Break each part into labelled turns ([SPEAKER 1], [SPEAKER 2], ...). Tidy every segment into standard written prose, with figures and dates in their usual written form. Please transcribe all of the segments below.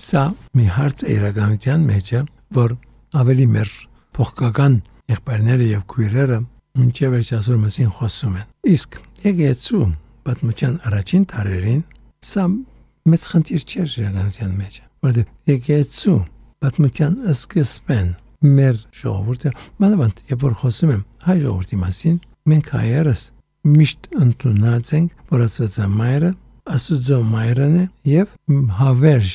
[SPEAKER 1] Սա մի հարց է իրականության մեջ, որ ավելի մեր փոխկական եղբայրները եւ քույրերը մինչև այսօր մասին խոսում են։ Իսկ եկեղեցու պատմության առաջին տարերին սա մեծ խնդիր չէր իրականության մեջ, որովհետեւ եկեղեցու պատմության սկզբին մեր ժողովուրդը, մանավանդ երբ որ խոսում եմ հայ ժողովրդի մասին, մենք հայերս միշտ ընդունած ենք, որ Աստվածամայրը Աստծո մայրն է եւ հավերժ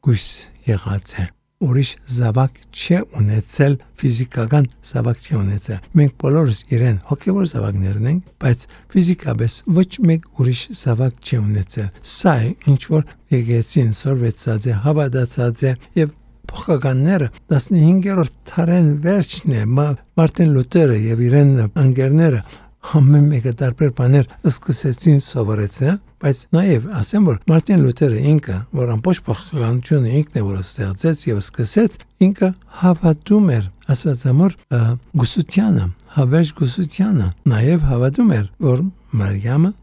[SPEAKER 1] գույս եղած է։ Ուրիշ զավակ չէ ունեցել, ֆիզիկական զավակ չէ ունեցել։ Մենք բոլորս իրեն հոգևոր զավակներն ենք, բայց ֆիզիկապես ոչ մեկ ուրիշ զավակ չէ ունեցել։ Սա է ինչ որ եկեղեցին սորվեցած է, հավատացած է եւ փոխականները 15-րդ դարին վերջն է Մարտին Լութերը եւ իրեն անգերները ամեն մեկը տարբեր բաներ սկսեցին սովորեցնել, բայց նաև ասեմ, որ Մարտին Լութերը ինքը, որ ամբողջ փոխականությունը ինքն է որ ստեղծեց եւ սկսեց, ինքը հավատում էր Աստվածամոր գուսությանը, հավերժ գուսությանը, նաև հավատում էր, որ Մարիամը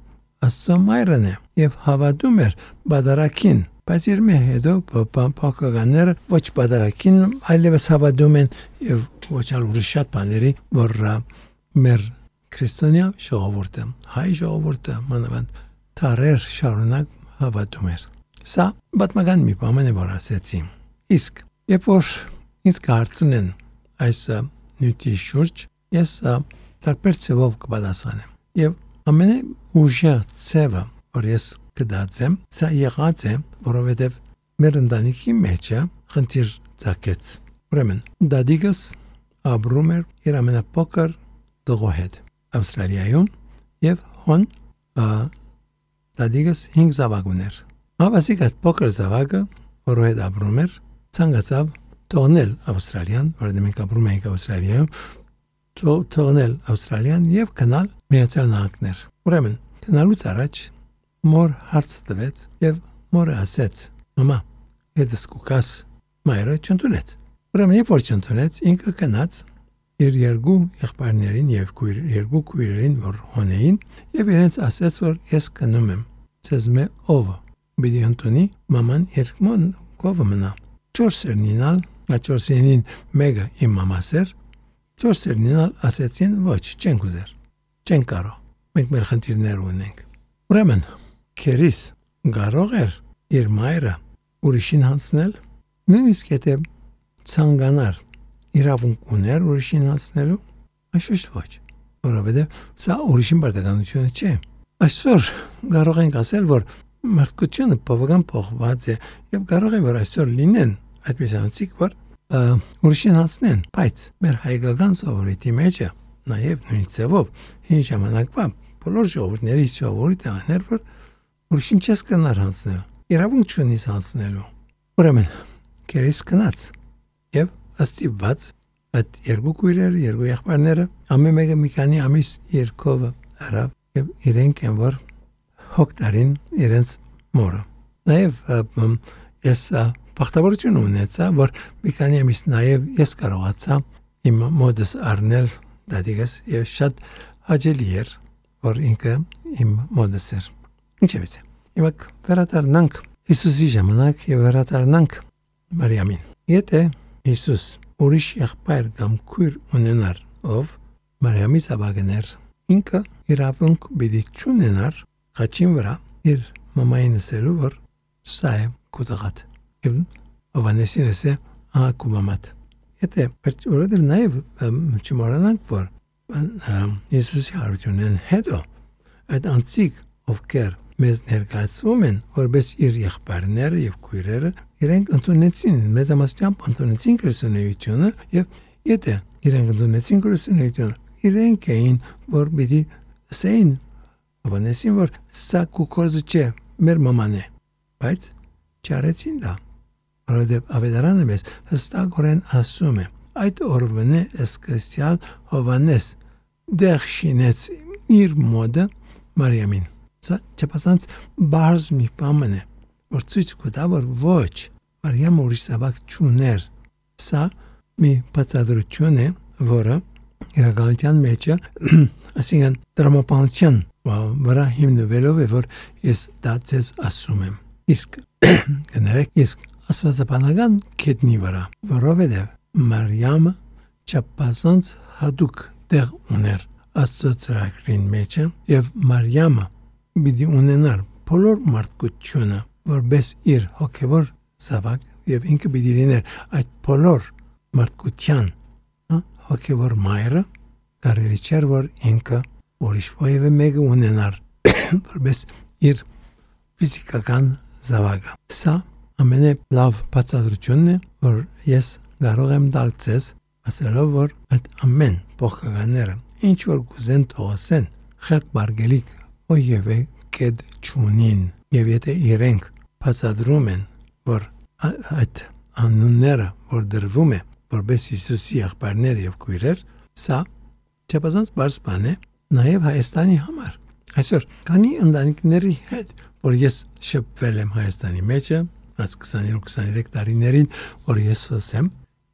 [SPEAKER 1] Աստծո մայրն է եւ հավատում էր բادرակին, բայց իր մի հետո փոխականները ոչ բادرակին, այլևս հավատում են եւ ոչ այլ ուրիշ շատ բաների, որ մեր քրիստոնյա ժողովուրդը, հայ ժողովուրդը մանավանդ տարեր շարունակ հավատում էր։ Սա պատմական մի բան է, որ ասեցի։ Իսկ երբ որ ինձ կհարցնեն այս նյութի շուրջ, ես տարբեր ձևով կպատասխանեմ։ Եվ ամենաուժեղ ձևը, որ ես կդարձեմ, սա եղած է, որովհետև մեր ընտանիքի մեջ խնդիր ծագեց։ Ուրեմն, դադիկս ապրում էր իր ամենափոքր տղու հետ Ավստրալիայում եւ հոն դադիկս 5 զավակ ուներ։ Ավասիկ այդ փոքր զավակը, որը հետ ապրում էր, ցանկացավ թողնել Ավստրալիան, որովհետեւ մենք ապրում ենք Ավստրալիայում, թողնել Ավստրալիան եւ գնալ Միացյալ Նահանգներ։ Ուրեմն, գնալուց առաջ մոր հարց տվեց եւ մորը ասեց. «Մամա, հետս կուկաս մայրը չընդունեց»։ Ուրեմն երբ որ չընդունեց, ինքը գնաց իր երկու եղբայրներին եւ երկու քույրերին, որ հոնեին, եւ իրենց ասեց, որ ես գնում եմ։ Ցեզ մե ով բիդի ընդունի մաման երկմոն կովը մնա։ 4-ին 4-ին մեկը իմ մամասեր, 4-ին ասեցին ոչ, չենք ուզեր, չենք կարող, մենք մեր խնդիրներ ունենք։ Ուրեմն, քերիս կարող էր իր մայրը ուրիշին հանձնել, նույնիսկ եթե ցանկանար իրավունք ուներ ուրիշին հանձնելու, այշուշտ ոչ, որովհետև սա ուրիշին բարդականությունը չէ։ Այսօր կարող ենք ասել, որ մարդկությունը բավական փոխված է եւ կարող է որ այսօր լինեն այդպես անցիկ, որ ուրիշին հանձնեն, բայց մեր հայկական սովորույթի մեջ նաեւ նույն ձևով հին ժամանակվա բոլոր ժողովուրդների ժողովուրդը աներ, որ ուրիշին չես կնար հանձնել, իրավունք չունիս հանձնելու։ Ուրեմն, քերիս կնաց եւ ըստիված այդ երկու քույրերը, երկու եղբայրները ամեն մեկը մի քանի ամիս երկով արավ եւ իրենք են որ հոգտարին իրենց մորը։ Նաեւ ես բախտավորություն ունեցա, որ մի քանի ամիս նաեւ ես կարողացա իմ մոդս առնել դադիկս եւ շատ հաճելի էր, որ ինքը իմ մոդս էր։ Ինչևէ, հիմա վերադառնանք Հիսուսի ժամանակ եւ վերադառնանք Մարիամին։ Եթե Հիսուս ուրիշ եղբայր կամ քույր ունենար, ով Մարիամի զավակներ, ինքը իրավունք պիտի չունենար խաչին վրա իր մամային ասելու, որ սա է քո տղատ եւ Հովհաննեսին ասե քո մամատ։ Եթե որովհետեւ նաեւ չմոռանանք, որ Հիսուսի հարությունն հետո այդ անցիկ ովքեր մեզ ներկայացվում են, որպես իր եղբայրները եւ քույրերը, իրենք ընդունեցին, մեծամասնությամբ ընդունեցին քրիստոնեությունը եւ եթե իրենք ընդունեցին քրիստոնեությունը, իրենք էին, որ պիտի ասեին Հովհաննեսին, որ սա կուկորզը չէ, մեր մաման է, բայց չարեցին դա, որովհետեւ ավետարանը մեզ հստակորեն ասում է, այդ օրվան է սկսյալ Հովհաննես դեղ շինեց իր մոդը Մարիամին։ Սա չափազանց բարձ մի բան է, որ ցույց կտա, որ ոչ, Մարիամը ուրիշ զավակ չուներ։ Սա մի բացատրություն է, որը իրականության մեջ ասինքն դրամապանության վրա հիմնվելով է, որ ես դա ցես ասում եմ։ Իսկ կներեք, իսկ աստվածաբանական կետնի վրա, որովհետև Մարիամը չափազանց հատուկ տեղ ուներ Աստծո ծրագրին մեջ եւ Մարիամը պիտի ունենար բոլոր մարդկությունը, որպես իր հոգևոր զավակ եւ ինքը պիտի լիներ այդ բոլոր մարդկության հոգևոր մայրը, կարելի չէր որ ինքը ուրիշ ոևէ մեկը ունենար որպես իր ֆիզիկական զավակը։ Սա ամենալավ բացատրությունն է, որ ես կարող եմ տալ ձեզ, ասելով որ այդ ամեն փոխականները ինչ որ կուզեն թողասեն, խելք բարգելիք ոևէ կետ չունին, եւ եթե իրենք բացատրում են, որ այդ անունները, որ դրվում է, որպես Հիսուսի եղբայրներ եւ քույրեր, սա չափազանց բարձ բան է նաեւ Հայաստանի համար։ Այսօր քանի ընտանիքների հետ, որ ես շփվել եմ Հայաստանի մեջ, այս 22-23 տարիներին, որ ես ասեմ,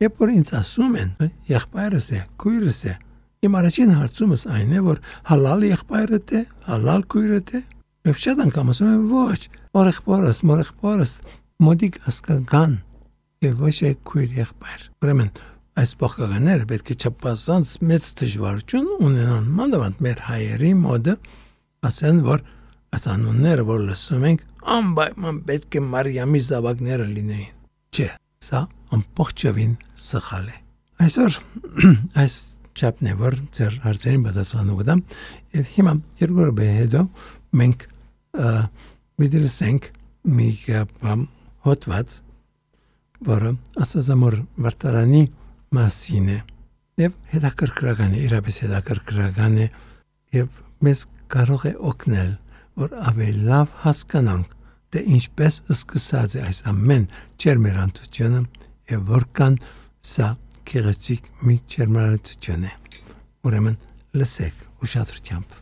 [SPEAKER 1] երբ որ ինձ ասում են, եղբայրս է, քույրս է, իմ առաջին հարցումս այն է, որ հալալ եղբայրդ է, հալալ քույրդ է, եւ շատ անգամ ասում են ոչ, մորեղբորս, մոդիկ ասկական, եւ ոչ է քույր եղբայր։ Ուրեմն այս փոխականները պետք է չափազանց մեծ դժվարություն ունենան, մանավանդ մեր հայերի մոդը, ասեն որ ասանունները որ լսում ենք, անպայման պետք է Մարիամի զավակները լինեին։ Չէ, սա ամբողջովին սխալ է։ Այսօր այս չափն է որ ձեր հարցերին պատասխանու կտամ եւ հիմա երկու րոպե հետո մենք միդլսենք մի հոդված որը ասածամոր վարտարանի մասին է եւ հետաքրքրական է, իրապես հետաքրքրական է եւ մեզ կարող է օգնել որ ավելի լավ հասկանանք թե ինչպես սկսած է այս ամեն ջերմերանդությունը եւ որքան սա գեղեցիկ մի ջերմերանդություն է։ Ուրեմն լսեք ուշադրությամբ։